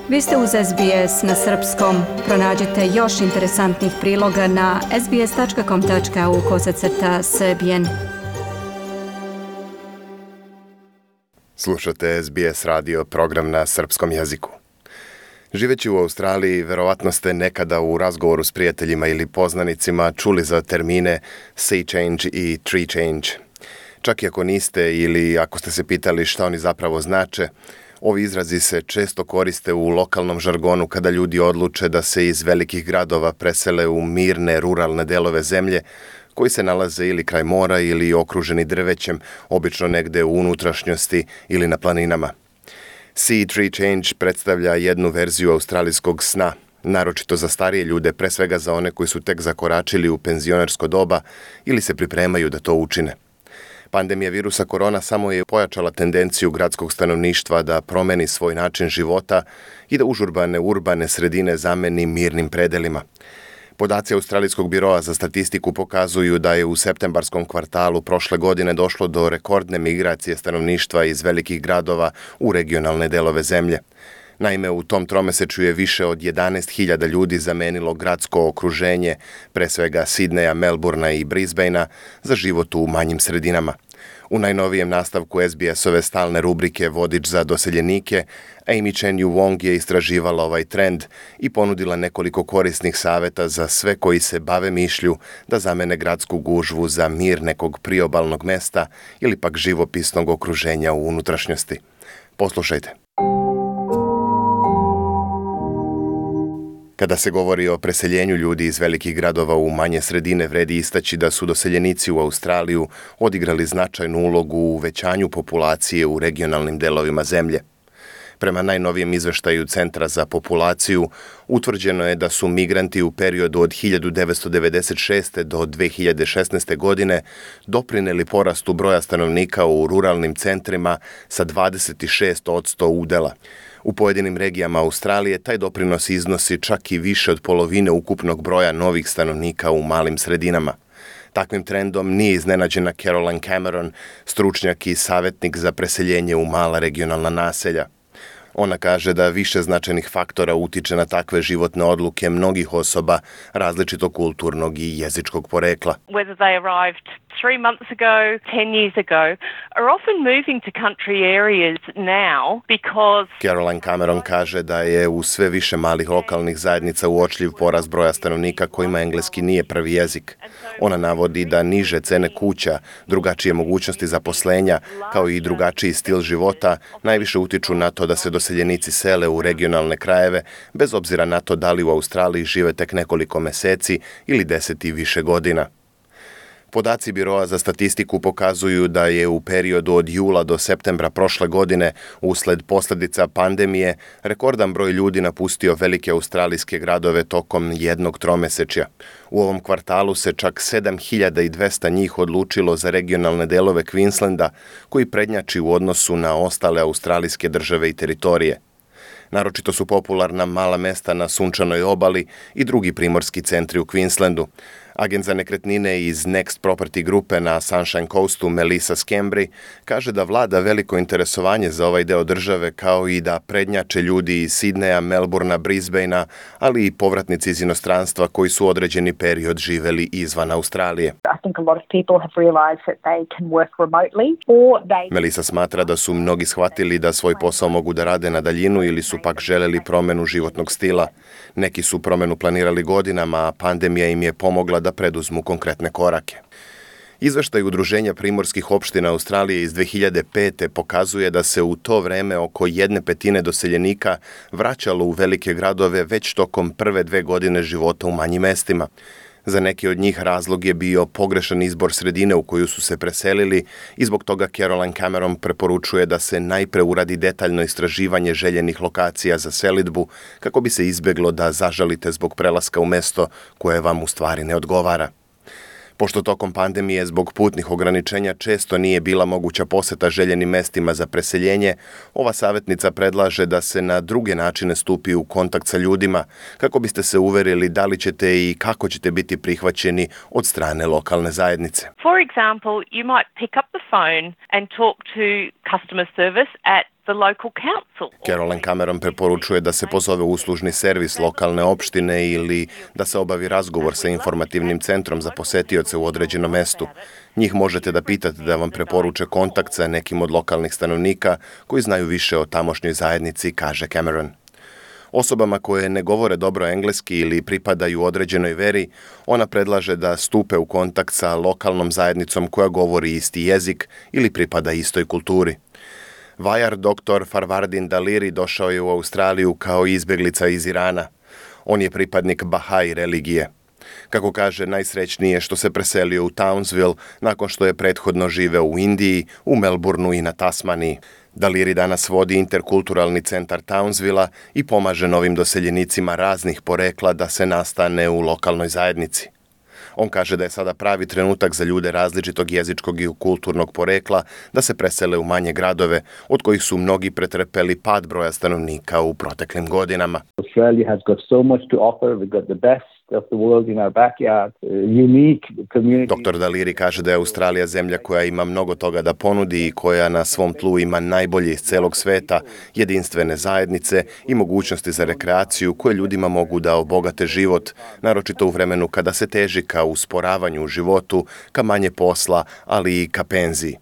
Vi ste uz SBS na srpskom. Pronađite još interesantnih priloga na sbs.com.au/srbijen. Slušate SBS radio program na srpskom jeziku. Živeći u Australiji, verovatno ste nekada u razgovoru s prijateljima ili poznanicima čuli za termine sea change i tree change. Čak i ako niste ili ako ste se pitali šta oni zapravo znače, ovi izrazi se često koriste u lokalnom žargonu kada ljudi odluče da se iz velikih gradova presele u mirne ruralne delove zemlje koji se nalaze ili kraj mora ili okruženi drvećem, obično negde u unutrašnjosti ili na planinama. Sea tree change predstavlja jednu verziju australijskog sna, naročito za starije ljude, pre svega za one koji su tek zakoračili u penzionersko doba ili se pripremaju da to učine. Pandemija virusa korona samo je pojačala tendenciju gradskog stanovništva da promeni svoj način života i da užurbane urbane sredine zameni mirnim predelima. Podaci Australijskog biroa za statistiku pokazuju da je u septembarskom kvartalu prošle godine došlo do rekordne migracije stanovništva iz velikih gradova u regionalne delove zemlje. Naime, u tom tromesečju je više od 11.000 ljudi zamenilo gradsko okruženje, pre svega Sidneja, Melbourna i Brisbanea, za život u manjim sredinama. U najnovijem nastavku SBS-ove stalne rubrike Vodič za doseljenike, Amy Chen Yu Wong je istraživala ovaj trend i ponudila nekoliko korisnih saveta za sve koji se bave mišlju da zamene gradsku gužvu za mir nekog priobalnog mesta ili pak živopisnog okruženja u unutrašnjosti. Poslušajte. Kada se govori o preseljenju ljudi iz velikih gradova u manje sredine, vredi istaći da su doseljenici u Australiju odigrali značajnu ulogu u uvećanju populacije u regionalnim delovima zemlje. Prema najnovijem izveštaju Centra za populaciju, utvrđeno je da su migranti u periodu od 1996. do 2016. godine doprineli porastu broja stanovnika u ruralnim centrima sa 26% udela. U pojedinim regijama Australije taj doprinos iznosi čak i više od polovine ukupnog broja novih stanovnika u malim sredinama. Takvim trendom nije iznenađena Caroline Cameron, stručnjak i savjetnik za preseljenje u mala regionalna naselja. Ona kaže da više značajnih faktora utiče na takve životne odluke mnogih osoba različitog kulturnog i jezičkog porekla. Whether they arrived 3 months ago, 10 years ago, are often moving to country areas now because... Caroline Cameron kaže da je u sve više malih lokalnih zajednica uočljiv porast broja stanovnika kojima engleski nije prvi jezik. Ona navodi da niže cene kuća, drugačije mogućnosti zaposlenja, kao i drugačiji stil života, najviše utiču na to da se doseljenici sele u regionalne krajeve, bez obzira na to da li u Australiji žive tek nekoliko meseci ili 10 i više godina. Podaci Biroa za statistiku pokazuju da je u periodu od jula do septembra prošle godine, usled posljedica pandemije, rekordan broj ljudi napustio velike australijske gradove tokom jednog tromesečja. U ovom kvartalu se čak 7.200 njih odlučilo za regionalne delove Queenslanda, koji prednjači u odnosu na ostale australijske države i teritorije. Naročito su popularna mala mesta na sunčanoj obali i drugi primorski centri u Queenslandu. Agent za nekretnine iz Next Property grupe na Sunshine Coastu Melissa Scambry kaže da vlada veliko interesovanje za ovaj deo države, kao i da prednjače ljudi iz Sidneja, Melbourna, Brisbanea, ali i povratnici iz inostranstva koji su određeni period živeli izvan Australije. Melissa smatra da su mnogi shvatili da svoj posao mogu da rade na daljinu ili su pak želeli promenu životnog stila. Neki su promenu planirali godinama, a pandemija im je pomogla da preduzmu konkretne korake. Izveštaj Udruženja primorskih opština Australije iz 2005. pokazuje da se u to vreme oko 1/5 doseljenika vraćalo u velike gradove već tokom prve 2 godine života u manjim mestima. Za neke od njih razlog je bio pogrešan izbor sredine u koju su se preselili i zbog toga Caroline Cameron preporučuje da se najpre uradi detaljno istraživanje željenih lokacija za selidbu kako bi se izbjeglo da zažalite zbog prelaska u mesto koje vam u stvari ne odgovara. Pošto tokom pandemije zbog putnih ograničenja često nije bila moguća poseta željenim mestima za preseljenje, ova savjetnica predlaže da se na druge načine stupi u kontakt sa ljudima kako biste se uverili da li ćete i kako ćete biti prihvaćeni od strane lokalne zajednice. For example, you might pick up the phone and talk to customer service at the local council. Caroline Cameron preporučuje da se pozove uslužni servis lokalne opštine ili da se obavi razgovor sa informativnim centrom za posetioce u određenom mestu. Njih možete da pitate da vam preporuče kontakt sa nekim od lokalnih stanovnika koji znaju više o tamošnjoj zajednici, kaže Cameron. Osobama koje ne govore dobro engleski ili pripadaju određenoj veri, ona predlaže da stupe u kontakt sa lokalnom zajednicom koja govori isti jezik ili pripada istoj kulturi. Vajar dr. Farvardin Daliri došao je u Australiju kao izbjeglica iz Irana. On je pripadnik Bahai religije. Kako kaže, najsrećnije je što se preselio u Townsville nakon što je prethodno živeo u Indiji, u Melbourneu i na Tasmaniji. Daliri danas vodi interkulturalni centar Townsvilla i pomaže novim doseljenicima raznih porekla da se nastane u lokalnoj zajednici. On kaže da je sada pravi trenutak za ljude različitog jezičkog i kulturnog porekla da se presele u manje gradove, od kojih su mnogi pretrpeli pad broja stanovnika u proteklim godinama. Australia has got so much to offer. We've got the best of the world in our backyard, unique community. Dr. Daliri kaže da je Australija zemlja koja ima mnogo toga da ponudi i koja na svom tlu ima najbolje iz celog sveta, jedinstvene zajednice i mogućnosti za rekreaciju koje ljudima mogu da obogate život, naročito u vremenu kada se teži ka usporavanju u životu, ka manje posla, ali i ka penziji.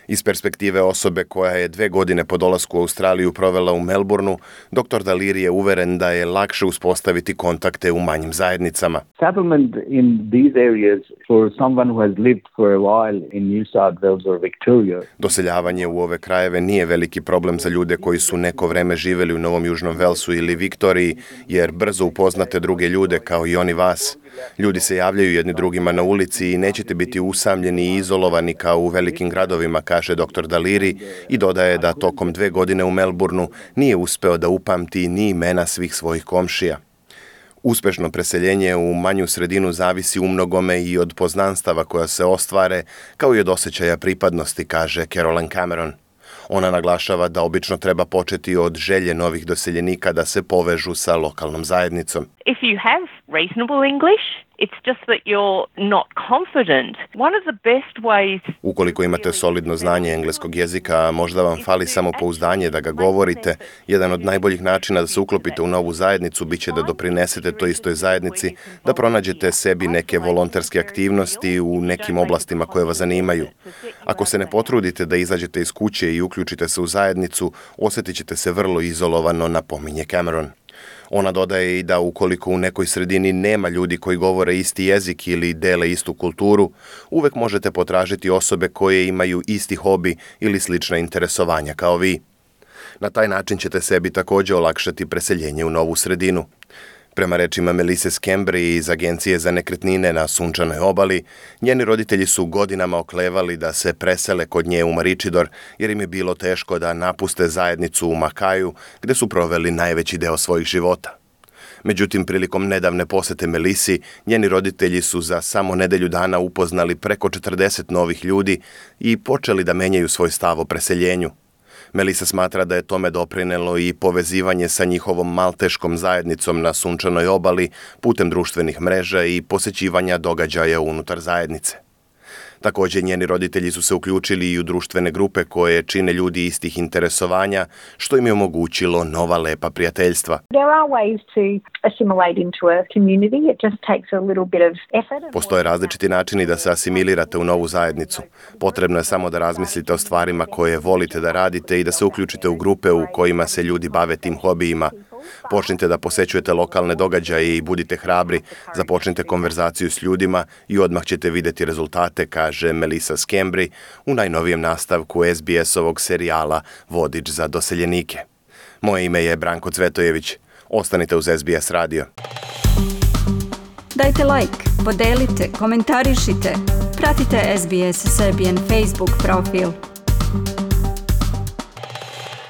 Iz perspektive osobe koja je 2 godine po dolasku u Australiju provela u Melbourneu, dr. Daliri je uveren da je lakše uspostaviti kontakte u manjim zajednicama. Settlement in these areas for someone who has lived for a while in New South Wales or Victoria. Doseljavanje u ove krajeve nije veliki problem za ljude koji su neko vreme živeli u Novom Južnom Velsu ili Viktoriji, jer brzo upoznate druge ljude kao i oni vas. Ljudi se javljaju jedni drugima na ulici i nećete biti usamljeni i izolovani kao u velikim gradovima, kaže dr. Daliri i dodaje da tokom 2 godine u Melbourneu nije uspeo da upamti ni imena svih svojih komšija. Uspešno preseljenje u manju sredinu zavisi umnogome i od poznanstava koja se ostvare, kao i od osjećaja pripadnosti, kaže Caroline Cameron. Ona naglašava da obično treba početi od želje novih doseljenika da se povežu sa lokalnom zajednicom. If you have reasonable English, it's just that you're not confident. One of the best ways... Ukoliko imate solidno znanje engleskog jezika, možda vam fali samopouzdanje da ga govorite, jedan od najboljih načina da se uklopite u novu zajednicu biće da doprinesete toj istoj zajednici, da pronađete sebi neke volonterske aktivnosti u nekim oblastima koje vas zanimaju. Ako se ne potrudite da izađete iz kuće i uključite se u zajednicu, osjetit ćete se vrlo izolovano, napominje Cameron. Ona dodaje i da ukoliko u nekoj sredini nema ljudi koji govore isti jezik ili dele istu kulturu, uvek možete potražiti osobe koje imaju isti hobi ili slična interesovanja kao vi. Na taj način ćete sebi također olakšati preseljenje u novu sredinu. Prema rečima Melisse Scambry iz Agencije za nekretnine na Sunčanoj obali, njeni roditelji su godinama oklevali da se presele kod nje u Maroochydore jer im je bilo teško da napuste zajednicu u Makaju gde su proveli najveći deo svojih života. Međutim, prilikom nedavne posete Melisi, njeni roditelji su za samo nedelju dana upoznali preko 40 novih ljudi i počeli da menjaju svoj stav o preseljenju. Melissa smatra da je tome doprinelo i povezivanje sa njihovom malteškom zajednicom na Sunčanoj obali putem društvenih mreža i posećivanja događaja unutar zajednice. Također, njeni roditelji su se uključili i u društvene grupe koje čine ljudi istih interesovanja, što im je omogućilo nova lepa prijateljstva. Postoje različiti načini da se asimilirate u novu zajednicu. Potrebno je samo da razmislite o stvarima koje volite da radite i da se uključite u grupe u kojima se ljudi bave tim hobijima. Počnite da posećujete lokalne događaje i budite hrabri, započnite konverzaciju s ljudima i odmah ćete vidjeti rezultate, kaže Melissa Scambry u najnovijem nastavku SBS-ovog serijala Vodič za doseljenike. Moje ime je Branko Cvetojević. Ostanite uz SBS radio. Dajte like, podelite, komentarišite. Pratite SBS Serbian Facebook profil.